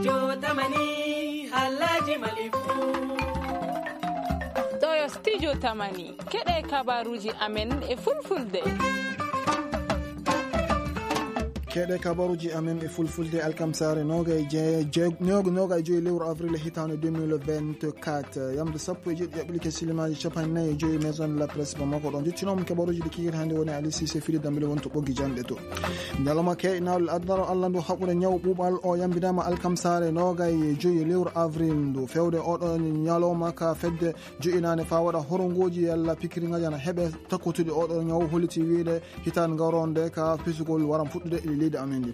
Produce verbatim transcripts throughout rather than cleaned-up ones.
Jotamani, Alhaji Malifu. Ɗo yo Studio Tamani. Keɗe kabaruji amen e Fulfulde. Keɗe kabaruji amen e Fulfulde, alkamsare nogay je-, je-, nog-, nogay joyi lewru avril hitande deux mille vingt-quatre. Yamde sappo e jeɗɗi jaɓɓili ke silimaji capanɗe nayi e joyi Maison de la Presse Bamako. Ɗon jottinoma kabaruji ɗi kikiɗe hande woni Ali Cissé Fili Dambele wonto ɓoggi janɗe to. Ñalawma keynaaɗo adunaaru Allah ndu haɓude ñaw ɓuuɓal o yambinama alkamsare nogay e joyi lewru avril ndu. Fewde oɗo ñalawma ka fedde jo'inaande faa waɗa horongoji yalla pikiriŋaaji ana heɓe takkotude oɗo ñaw holliti wiide hitaande ngaroonde ka pisugol waran fuɗɗude e leydi amen ndi.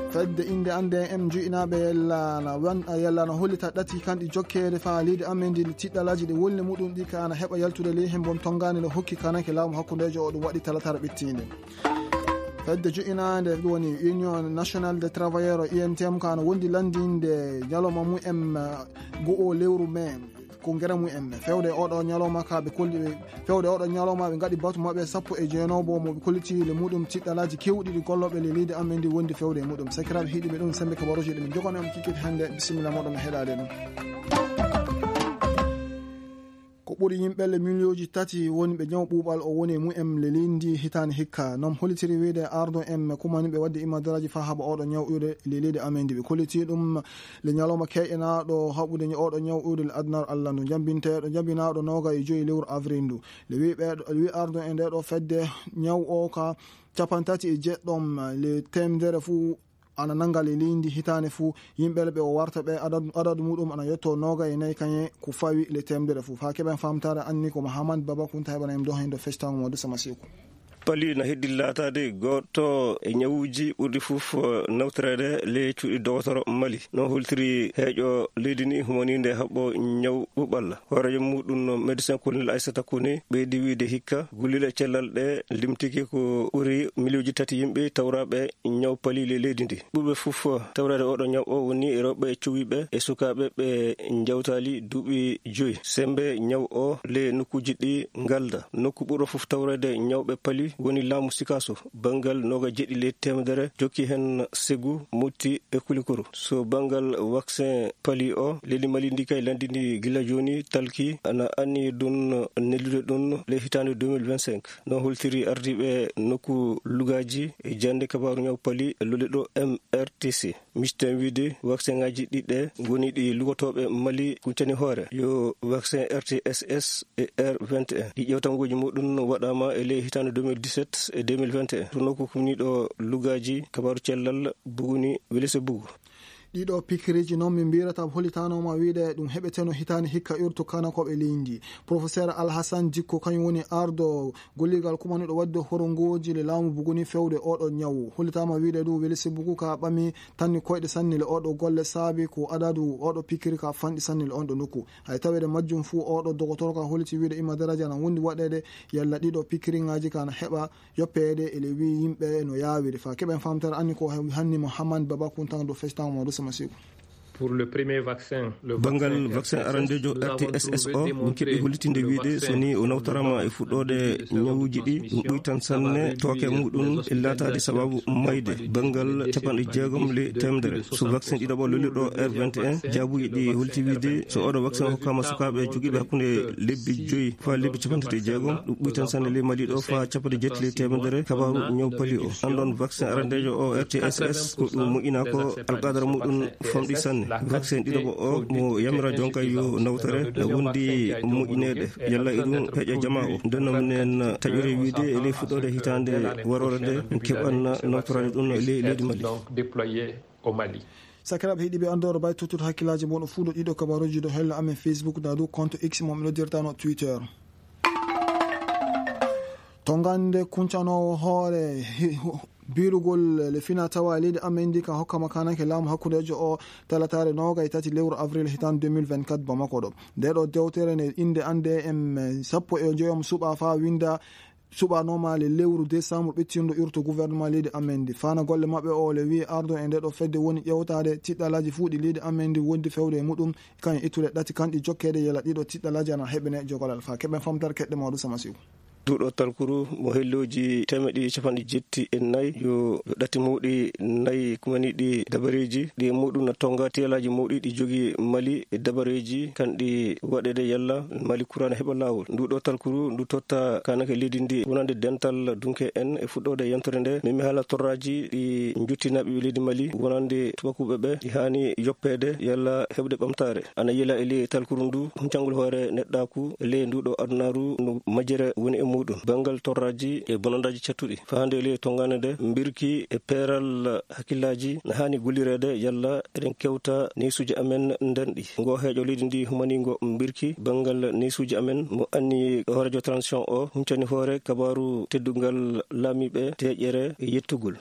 Fedde innde annde en jo'inaaɓe yalla na wan-, yalla na hollita ɗati kanɗi jokkeede faa leydi amen ndi tiɗɗalaaji ɗi wolni muɗum ɗi ka ana heɓa yaltude ley hembon tongaani no hokki kanake laamu hakkundeejo o ɗum waɗi talatara ɓittiinde. Fedde jo'inaande woni Union Nationale des Travailleurs, U N T M, ka ana wondi lanndinde ñalawma mum en go'o lewru mai. Ko ngera mum en. Fewde oɗo ñalawma ka ɓe kolli, fewde oɗo ñalawma ɓe ngaɗi batu maɓɓe sappo e jeenoowo mo ɓe kolliti le muɗum tiɗɗalaaji kewɗi ɗi gollooɓe le leydi amen ndi wondi fewde e muɗum. Sakiraaɓe heɗiiɓe ɗum sembe kabaruuji ɗi min jogani on kikiɗe hannde. Bisimilla moɗon mi heɗaade ɗum. Ko ɓuri yimɓe le miliyooji tati woni ɓe ñaw ɓuuɓal o woni e mumen le leydi ndi hitaande hikka. Non hollitiri wiide ardo en kumani ɓe wadde imadaraaji faa haɓa oɗo ñaw iwde le leydi amen ndi. Ɓe kolliti ɗum le ñalawma keynaaɗo haɓude oɗo ñaw iwde le adunaaru Allah ndu. Jambinteeɗo, jambinaaɗo noga e joyi lewru avril ndu. Le wi ɓeeɗo, le wi ardo e nde ɗo fedde ñaw o ka capantati e jeɗɗom le temedere fuu ana nannga le leydi hitaande fuu, yimɓe ɓe o warta ɓe adadu, adadu muɗum ana yetto noga e nayi kañe ko fawi le temedere fuu. Faa keɓen famtaare anni ko Mahamad Baba Kunta heɓana en dohen do festaŋo mo Dusa Masiku. Pali na heddi laataade gooto e ñawuuji ɓurɗi fof, eh, nawtoreede le cuuɗi dogotoro Mali. No holtiri heeƴo leydi ni humaniinde haɓɓo ñaw ɓuuɓal. Hooreejo muɗum no médecin colonel Aissata Kone ɓeydi wiide hikka gullile cellal ɗe limtiki ko ɓuri miliyooji tati yimɓe tawraaɓe ñaw pali le leydi ndi. Ɓurɓe fof tawreede oɗo ñaw o woni rewɓe cowiiɓe e sukaaɓe ɓe njawtaali duuɓi joyi. Sembe ñaw o le nokkuuji ɗi ngalda. Nokku ɓurɗo fof tawreede ñawɓe pali woni laamu Sikaso, banngal noga jeɗɗi le temedere, jokki heen Segu, Motti e Kulikoro. So banngal vaccin pali o, leydi Mali ndi kay lanndini gila jooni talki ana anni ɗum neldude ɗum le hitaande deux mille vingt-cinq. No holtiri ardiiɓe nokku lugaaji e jannde kabaaru ñaw pali loliɗo M R T C. Misten wiide vaccin ŋaaji ɗiɗi ɗe ngoni ɗi lugotooɓe Mali kuccani hoore. Yo vaccin R T S S e R vingt et un. Ɗi ƴeewtangooji muɗum waɗaama e ley hitaande deux mille dix-sept e deux mille vingt et un. To nokku kumniiɗo lugaaji kabaaru cellal Buguni Welese Bugu. Ɗiɗo pikiriiji noon min mbiyata hollitaanoma wiide ɗum heɓeteno hitaande hikka irtu kanakooɓe leydi. Professeur Alhassan Dikko kañum woni ardo golligal kumaniiɗo waɗde horongooji le laamu Buguni fewde oɗo ñawu. Hollitaama wiide ɗum Welese Bugu ka ɓami tanni koyɗe sanne le oɗo golle saabi ko adadu oɗo pikiri ka fanɗi sanne le on ɗo nokku. Hay taweede majjum fuu oɗo dogotoro ka holliti wiide ima daraja na wondi waɗeede yalla ɗiɗo pikiriŋaaji ka na heɓa yoppeede e le wi yimɓe no yaawiri. Faa keɓen famtere anni ko hanni Mouhammad Baba Kunta do festaŋo mo Dusa Masiku. Pour le premier vaccin, le Banngal vaccin vaccin R T S S, arandeejo nous avons R T S S o, trouvé min keɓi démontré hollitinde le wiide vaccin so ni o nawtorama e fuɗɗoode ñawuuji ɗi, ɗum ɓuytan sanne tooke muɗum e laataade sababu mayde. Banngal capanɗe jeegom le temedere. So vaccin ɗiɗaɓo loliɗo R vingt et un, jaabuji ɗi holti wiide so oɗo vaccin hokkama sukaaɓe jogiiɓe hakkunde lebbi joyi faa lebbi capanɗe tati e jeegom, ɗum ɓuytan sanne ley Mali ɗo faa capanɗe jeetati ley temedere kabaaru ñaw pali o. Anndon vaccin arandeejo o R T S S ko ɗum moƴƴinaa ko alqadara muɗum famɗi sanne. Vaccin ɗiɗaɓo o mo yamira jonka yo nawtore no wondi moƴƴineede yalla e ɗum heƴa jama o. Nden noon minen taƴori wiide e ley fuɗɗoode hitaande waroore nde keɓan nawtoraade ɗum e ley leydi Mali. Donc déployé au Mali. Sakiraaɓe heɗiiɓe anndoro bay tuttude hakkillaaji mon o fuu ɗo ɗiɗo kabaruuji ɗo hella amen Facebook na dow compte X mo mi noddirtano Twitter. To gannde kuncanoowo hoore hi-, hu-, biirugol le fina tawa e leydi amen ndi ka hokkama kanake laamu hakkundeejo o talataare noga e tati lewru avril hitaande deux mille vingt-quatre Bamako ɗo. Nde ɗo dewtere nde innde annde en sappo e joyom suɓa faa winnda suɓanooma le lewru décembre ɓettinɗo irto gouvernement leydi amen ndi. Fana golle maɓɓe o le wi'i ardo e nde ɗo fedde woni ƴewtaade tiɗɗalaaji fuu ɗi leydi amen ndi wondi fewde e muɗum, kañum ittude ɗati kanɗi jokkeede yela ɗiɗo tiɗɗalaaji ana heɓene jogalal faa keɓen famtere keɗɗe mawɗo Samasiw. Nduɗo talkuru mo hellooji teemeɗe ɗiɗi e capanɗe jetti e nayi, yo ɗati mawɗi nayi kumaniiɗi dabareeji, ɗi e muɗum na tonga teelaaji mawɗi ɗi jogii Mali e dabareeji kanɗi waɗeede yalla Mali kuraana heɓa laawol. Nduɗo talkuru ndu totta kaanake leydi ndi wonande dental dunke en. E fuɗɗoode yontere nde, min mi haala torraaji ɗi njottinaa ɓiɓɓe leydi Mali wonande tubakuuɓe ɓe, ɗi haani yoppeede yalla heɓde ɓamtaare. Ana yila e ley talkuru ndu, huncangol hoore neɗɗaaku e ley nduɗo adunaaru no majjere woni e muɗum. Banngal torraaji e bonandaaji cattuɗi, faande e ley tongaande nde, mbirki e peeral hakkillaaji na haani gollireede yalla eɗen kewta neesuuji amen ndenɗi. Ngo heeƴo leydi ndi humaniingo mbirki banngal neesuuji amen mo anni hooreejo transition o huncani hoore kabaaru teddungal laamiiɓe deeƴere e yettugol.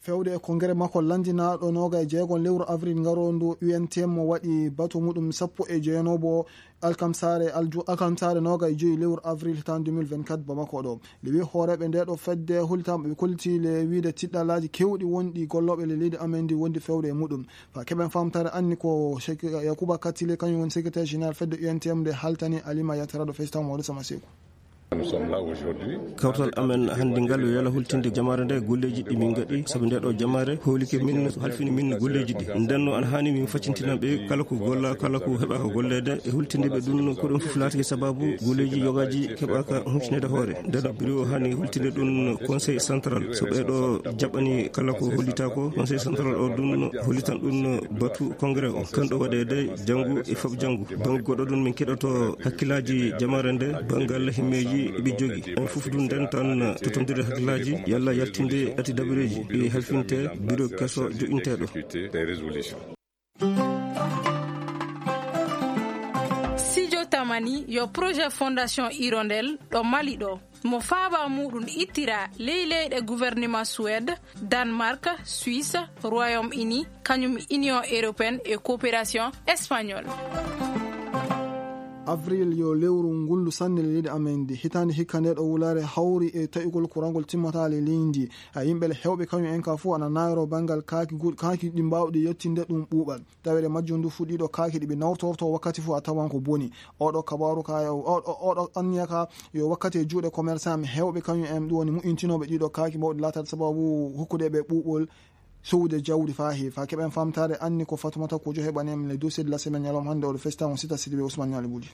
Fewde e kongere makko lanndinaaɗo noga e jeego lewru avril ngaroondu, U N T M mo waɗi batu muɗum sappo e jeenoobo alkamsaare alju-, alkamsaare noga e joyi lewru avril hitaande deux mille vingt-quatre Bamako ɗo. Nde wi hooreeɓe nde ɗo fedde hultam ɓe kolliti le wiide tiɗɗalaaji kewɗi wonɗi gollooɓe le leydi amen ndi wondi fewde e muɗum. Fa keɓen famtare anni ko Sheikh Yakuba Katile, kañum woni secrétaire général fedde U N T M nde haltani Alima Yatara ɗo FaceTime Mawɗo Sama Seeku. Kawtal amen hannde ngal yo yala hultinde jamaare nde golleeji ɗi min ngaɗi, sabu nde ɗo jamaare hoolike min, halfini min golleeji ɗi. Nden no ana haani min faccintina ɓe kala ko golla, kala ko heɓa ko golleede e hultinde ɓe ɗum. Ko ɗum fof laatike sababu golleeji yogaaji keɓaaka huccineede hoore. Nden no biro o haani hultinde ɗum conseil central. So ɓe ɗo jaɓani kala ko hollita ko, conseil central o ɗum hollitan ɗum batu congrès o. Kan ɗo waɗeede janngu e fab janngu. Bannge goɗɗo ɗum min keɗoto hakkillaaji jamaare nde, banngal himmeeji ɓe jogi. En fof ɗum nden tan totondirde hakkillaaji, yalla yaltinde ati dabareeji ɗi halfinte biro keso joƴinteeɗo. Sijo Tamani yo projet Fondation Hirondelle ɗo Mali ɗo. Mo faaba muɗum ittira ley leyɗe gouvernement Suède, Danemark, Suisse, Royaume-Uni, kañum Union Européenne e Coopération Espagnole. Avril yo lewru ngullu sanne leydi amen ndi. Hitaande hikka nde ɗo wulaare hawri e taƴugol kurangol timmata le leydi ndi. Ha yimɓe le hewɓe kañum en ka fof ana naayro banngal kaaki gu-, kaaki ɗi mbaawɗi yettinde ɗum ɓuuɓal. Tawere majjum ndu fuɗɗiiɗo kaaki ɗi ɓe nawtorto wakkati fof a tawan ko boni. Oɗo kabaaru ka, oɗo, oɗo anniya ka yo wakkati e juuɗe commerçant mi hewɓe kañum en ɗum woni mu'intinooɓe ɗiɗo kaaki mawɗi laataade sababu hokkude ɓe ɓuuɓol sowde jawdi faa heewi. Faa keɓen famtaade anni ko Fatumata Kojo heɓani en le dossier de la semaine ñalawma hannde oɗo festa on sita Sidibé Ousmane Ñaali Buli.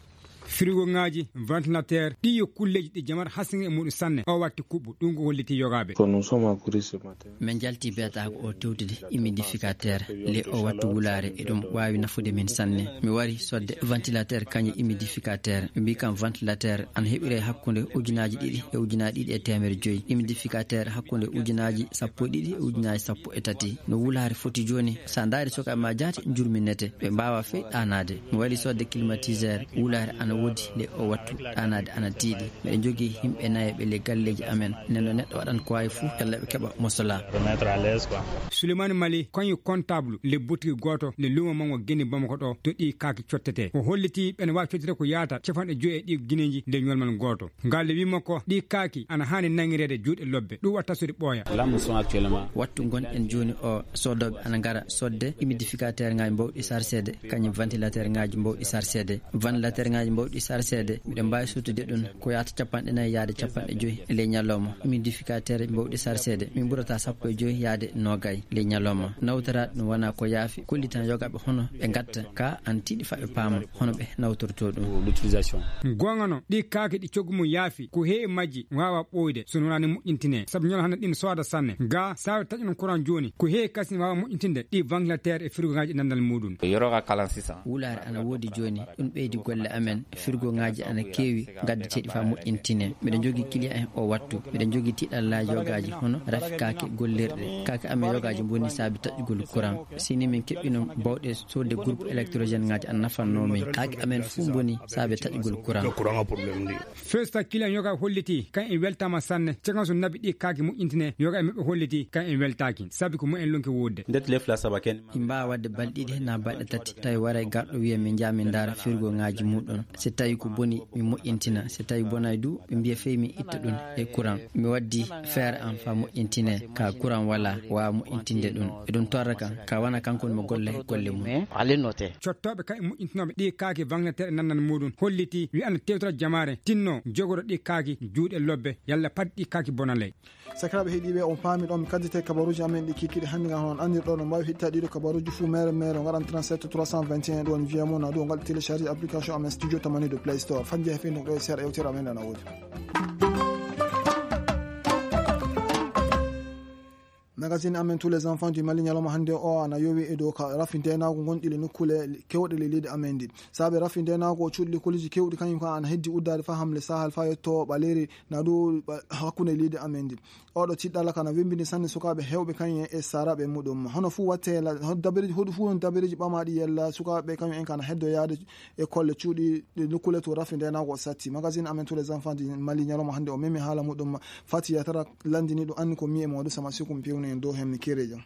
Frigo ŋaaji, ventilateur, ɗi yo kulleeji ɗi jamata hasini e muɗum sanne. O watti kuɓɓu, ɗum ko holliti yogaaɓe. Ko nous sommes à Kourissi matin. Min njalti beetaako o tewtude humidificateur. Le o wattu wulaare, eɗum waawi nafude min sanne. Mi wari sodde ventilateur kañum humidificateur. Ɓe mbii kam ventilateur ana heɓire hakkunde ujunaaji ɗiɗi e ujunaaji ɗiɗi e teemedde joyi. Humidificateur hakkunde ujunaaji sappo e ɗiɗi e ujunaaji sappo e tati. No wulaare foti jooni, so a ndaari sukaaɓe ma jaati njurminete. Ɓe mbaawa fey ɗaanaade. Mi wari sodde climatiseur, wulaare ana woodi, le o wattu ɗaanaade ana tiiɗi. Miɗen njogii yimɓe nayo ɓe le galleeji amen. Nden no neɗɗo waɗan ko waawi fuu, yalla ɓe keɓa mosola. Souleymane Mali, kañum comptable le boutique gooto le luumo mango Geni Bamako ɗo, to ɗi kaaki cottete. O holliti ɓen waawi cottete ko yaata capanɗe joyi e ɗi gineeji le ñolmal gooto. Ngal le wi makko, ɗi kaaki ana haani nangireede juuɗe lobbe. Ɗum watta sodi ɓooya. Là, nous sommes actuellement. Wattu ngonɗen jooni o, soodooɓe ana ngara sodde humidificateur ŋaaji mbawɗi sarseede, kañum ventilateur ŋaaji mbawɗi sarseede. Ventilateur ŋaaji mbawɗi sarseede, miɗen mbaawi sottude ɗum ko yaata capanɗe nayi yaade capanɗe joyi e ley ñalawma. Humidificateur mbawɗi sarseede, min ɓurata sappo e joyi yaade noogay ley ñalawma. Nawtoraade ɗum wona ko yaafi, kollitan yogaaɓe hono ɓe ngatta ka ana tiiɗi faa ɓe paama hono ɓe nawtorto ɗum. L'utilisation. Goonga no, ɗi kaaki ɗi coggu mum yaafi, ko heewi majji waawa ɓooyde so wonaa ne moƴƴintine, sabu ñalawma hannde ɗin sooda sanne. Ga saabe taƴuno courant jooni, ko heewi kasin waawa moƴƴintinde ɗi ventilateur e frigo ŋaaji e nanndal muɗum. Yoro ka kalan six cents. Wulaare ana woodi jooni, ɗum ɓeydi golle amen. Frigo ŋaaji ana keewi, ngaddateeɗi faa moƴƴintine. Miɗen njogii client en o wattu. Miɗen njogii tiiɗallaaji yogaaji hono rafi kaake gollirɗe. Kaake amen yogaaji mboni saabi taƴugol courant. Sini min keɓɓino bawɗe sodde groupe électrogène ŋaaji ana nafannoo min. Kaake amen fuu mboni saabi taƴugol courant. Feesta client yoga holliti kan en weltaama sanne. Cakan so nabi ɗi kaake moƴƴintine yoga e maɓɓe holliti kan en weltaaki. Sabi ko mumen lonke woodde. Ndet lef la saba ken. Min mbaawa waɗde balɗe ɗiɗi na balɗe tati, tawi waray garɗo wiya min njaha min ndaara firgo ŋaaji muɗum. Si tawi ko boni, mi moƴƴintina. Si tawi bonaay du, ɓe mbiya fey mi itta ɗum e courant. Mi waddi feere am faa moƴƴintine, ka courant wala, waawa moƴƴintinde ɗum. E ɗum torra kan, ka wana kanko mo golle e golle mum. Cottooɓe kan e moƴƴintinooɓe ɗi kaaki ventilateur e nannan muɗum holliti wi ana tewtora jamaare tinno jogoɗo ɗi kaaki juuɗe lobbe yalla pat ɗi kaaki bonaley. Sakiraaɓe heɗiiɓe, on paami ɗon mi kaddite kabaruuji amen ɗi kikiɗe hannde ngam on anndirɗo no mbaawi heɗita ɗiɗo kabaruuji fuu mere mere o ngaɗan trente-sept trois cent vingt et un ɗo on wiya mo na ɗo ngal télécharge application amen studio tamani de play store fajje he finduk ɗo e seeɗa yewtere amen ana woodi. Magazine amen tous les enfants du Mali ñalawma hannde o ana yowi e dow ka rafi ndenaagu ngonɗi le nokkule kewɗe le leydi amen ndi. Saabe rafi ndenaagu o cuuɗi likkoliji kewɗi kañum kan ana heddi uddaade faa hamle sahal faa yetto ɓaleeri na ɗo hakkunde leydi amen ndi. Oɗo tiɗɗala kana wembini sanne sukaaɓe hewɓe kañum en e saraɓe muɗum. Hono fuu watte la-, hono dabareeji, hoɗu fuu hono dabareeji ɓamaaɗi yella sukaaɓe kañum en kana heddo yaade e kolle cuuɗi ɗe nokkule to rafi ndenaagu o satti. Magazine amen tous les enfants du Mali ñalawma hannde o memi haala muɗum. Fati yatara landini ɗo anni ko mi e Mamadou Sama Sikum pewni en dow hemni kerejo.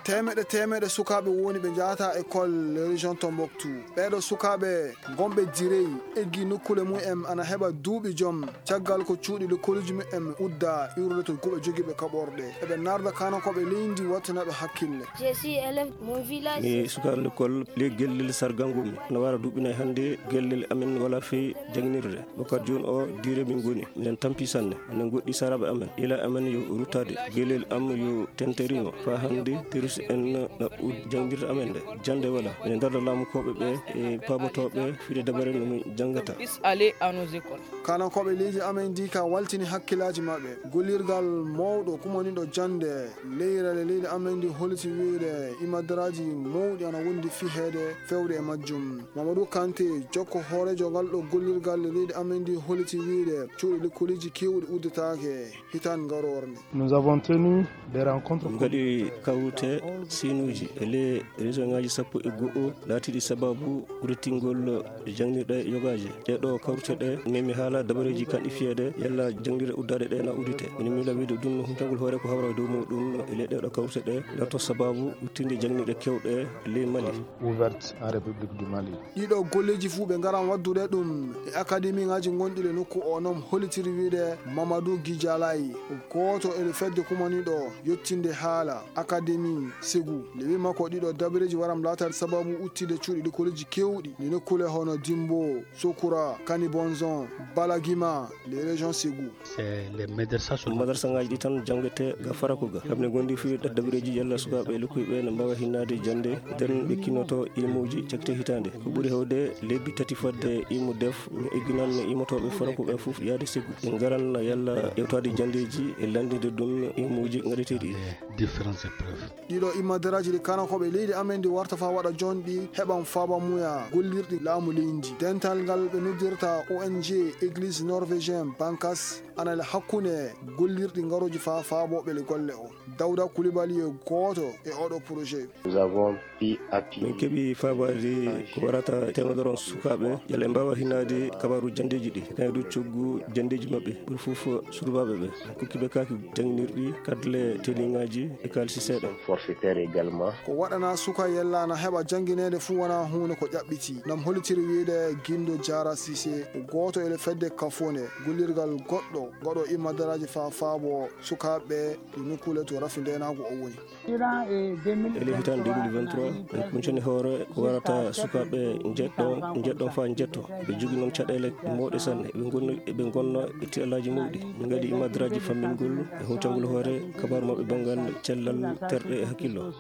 Teemeɗe teemeɗe sukaaɓe woni ɓe njahata école région Tombouctou. Ɓeeɗo sukaaɓe gonɓe Direy eggi nokkule mum en ana heɓa duuɓi joom caggal ko cuuɗi lekkolji mum en udda iwrude to guɓe jogiiɓe kaɓorɗe. Eɓe narda kanankooɓe leydi wattanaɓe hakkille. Je suis élève de mon village. Mi sukaaɗo lekkol ley gellel sargal ngu mi. No wara duuɓi nay hannde gellel amen wala fii janginirde. Wakkati jooni o Direy min ngoni. Minen tampi sanne. Minen goɗɗi saraaɓe amen. Ila amen yo ruttaade. Gellel am yo tenterino. Faa hannde terus en na ud janginirde amen nde. Jannde wala. Minen darda laamukooɓe ɓe e paabotooɓe fide dabare no min janngata. Puisse aller à nos écoles. Kanankooɓe leydi amen ndi ka waltini hakkillaaji maɓɓe. Gollirgal mawɗo kumaniiɗo jannde leyrale leydi amen ndi holliti wiyde imadaraaji mawɗi ana wondi fiheede fewde e majjum. Mamadou Kanté, jokko hooreejo ngal ɗo gollirgal leydi amen ndi holliti wiyde cuuɗi lekkoliji keewɗi uddetaake hitaande ngaroore nde. Nous avons tenu des rencontres. Min ngaɗi kawrite siinuuji e ley région ŋaaji sappo e go'o laatiiɗi sababu ruttingol janngirɗe yogaaje. Ɗee ɗoo kawrite ɗe memi haala dabareeji kanɗi fiyeede yalla janngirɗe uddaaɗe ɗe na uddite. Minen miila wiyde ɗum huncagol hoore ko hawra e dow muuɗum e ley ɗee ɗoo kawrite ɗe laatoo sababu udditinde janngirɗe keewɗe ley Mali. Ouverte en République du Mali. Ɗiɗo golleeji fuu ɓe ngaran waddude ɗum e akademiŋaaji gonɗi le nokku o non hollitiri wiyde Mamadou Gijalay, gooto e le fedde kumaniiɗo yettinde haala akademi Segu. Nde wi'i makko ɗiɗo dabareeji waran laataade sababu udditde cuuɗi likkoleeji keewɗi ɗi nokkule hono Dimbo, Sokura, Kanibonzon, Balagima, les régions Segu. C'est les madrasa. Madrasaaji ɗi tan janngete ga faraku ga. Kamɓe ngondi fii dabareeji yalla sukaaɓe lokkuyɓe ne mbaawa hinnaade jannde, nden ɓe kinnoto imuuji cakte hitaande. Ko ɓuri heewde lebbi tati fodde imu def, mi egginan imotooɓe faraku ɓe fof yaade Segu. Ɓe ngaran yalla ƴeewtaade janndeeji e lanndinde ɗum imuuji ngaɗeteeɗi. Différentes épreuves. Ɗiɗo imadaraaji ɗi kanankooɓe leydi amen ndi warta faa waɗa jonɗi heɓan faaba muya gollirɗi laamu leydi. Dental ngal ɓe noddirta O N G Église Norvégienne Bankas ana le hakkunde gollirɗi ngarooji faa faabooɓe le golle o. Dawda Kulibali e gooto e oɗo projet. Nous avons pu appuyer. Min keɓi faabaade ko warata teemedere on sukaaɓe, yalla ɓe mbaawa hinnaade kabaaru janndeeji ɗi, e kayru coggu janndeeji maɓɓe, ɓuri fof survaaɓe ɓe. Kokki ɓe kaaki jannginirɗi, kadle teliŋaaji e kaalisi seeɗa. Forfaitaire également. Ko waɗana suka yella na heɓa janngineede fuu wonaa huunde ko ƴaɓɓiti. Nam hollitiri wiyde Gindo Diarra Cissé, gooto e le fedde Kafone, gollirgal goɗɗo, goɗɗo immadaraaji faa faabo sukaaɓe ɗi nokkuule to rafi ndeenaagu o woni. E ley hitaande deux mille vingt-trois, en kuncani hoore ko warata sukaaɓe njeɗɗo, njeɗɗo faa njetto. Ɓe jogii noon caɗeele mawɗe sanne. Ɓe ngonna, ɓe ngonna e tiɗallaaji mawɗi. Min ngaɗi imadaraaji fammingol e huncangol hoore kabaaru maɓɓe banngal cellal terɗe e hakkillo.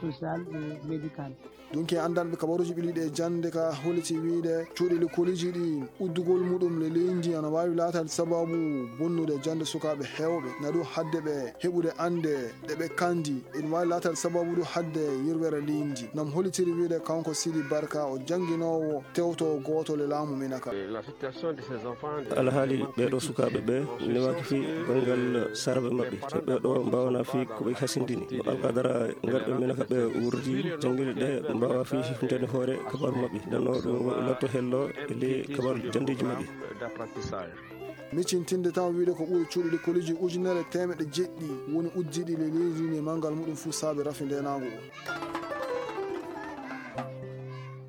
Dunki anndanɓe kabaruuji ɓilliiɗi e jannde ka holliti wiyde cuuɗi lekkooliji ɗi uddugol muɗum le leydi ana waawi laataade sababu bonnude jannde sukaaɓe heewɓe. Na ɗum hadde ɓe heɓude annde ɗe ɓe kandi. Ina waawi laataade sababu ɗum hadde yirwere leydi. Nam hollitiri wiyde kanko Sidi Barka, o jannginoowo tewto gooto le laamu Minaka. Alhaali ɓee ɗoo sukaaɓe ɓe newaaki fii banngal saraɓe maɓɓe. So ɓee ɗoo mbaawanaa fii ko ɓe hasindini. No alqadara ngarɓe Minaka ɓe wuurdi janngirde ɗe mbaawa fii huntande hoore kabaaru maɓɓe. Nde no ɗum latto hello e ley kabaaru janndeeji maɓɓe. Micintinde tan wiyde ko ɓuri cuuɗi lekkooliji ujunere teemeɗɗe jeɗɗi woni uddiiɗi le leydi ndi e manngal muɗum fuu saabe rafi ndeenaagu o.